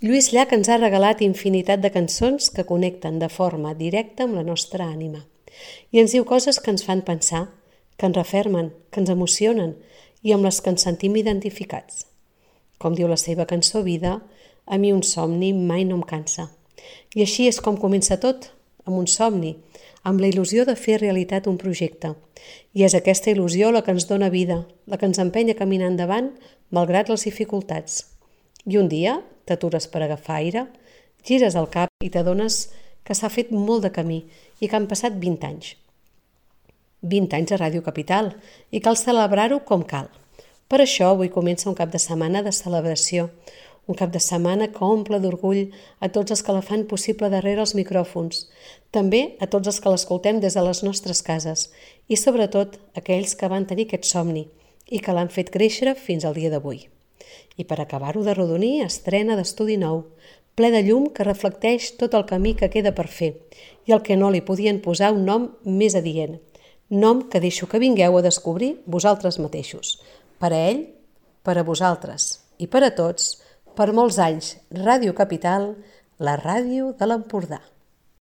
Lluís Llach ens ha regalat infinitat de cançons que connecten de forma directa amb la nostra ànima i ens diu coses que ens fan pensar, que ens refermen, que ens emocionen i amb les que ens sentim identificats. Com diu la seva cançó Vida, a mi un somni mai no em cansa. I així és com comença tot, amb un somni, amb la il·lusió de fer realitat un projecte. I és aquesta il·lusió la que ens dona vida, la que ens empenya a caminar endavant malgrat les dificultats. I un dia t'atures per agafar aire, gires el cap i t'adones que s'ha fet molt de camí i que han passat 20 anys. 20 anys a Ràdio Capital i cal celebrar-ho com cal. Per això avui comença un cap de setmana de celebració, un cap de setmana que omple d'orgull a tots els que la fan possible darrere els micròfons, també a tots els que l'escoltem des de les nostres cases i sobretot aquells que van tenir aquest somni i que l'han fet créixer fins al dia d'avui. I per acabar-ho d'arrodonir, estrena d'estudi nou, ple de llum que reflecteix tot el camí que queda per fer i el que no li podien posar un nom més adient, nom que deixo que vingueu a descobrir vosaltres mateixos. Per a ell, per a vosaltres i per a tots, per molts anys, Ràdio Capital, la ràdio de l'Empordà.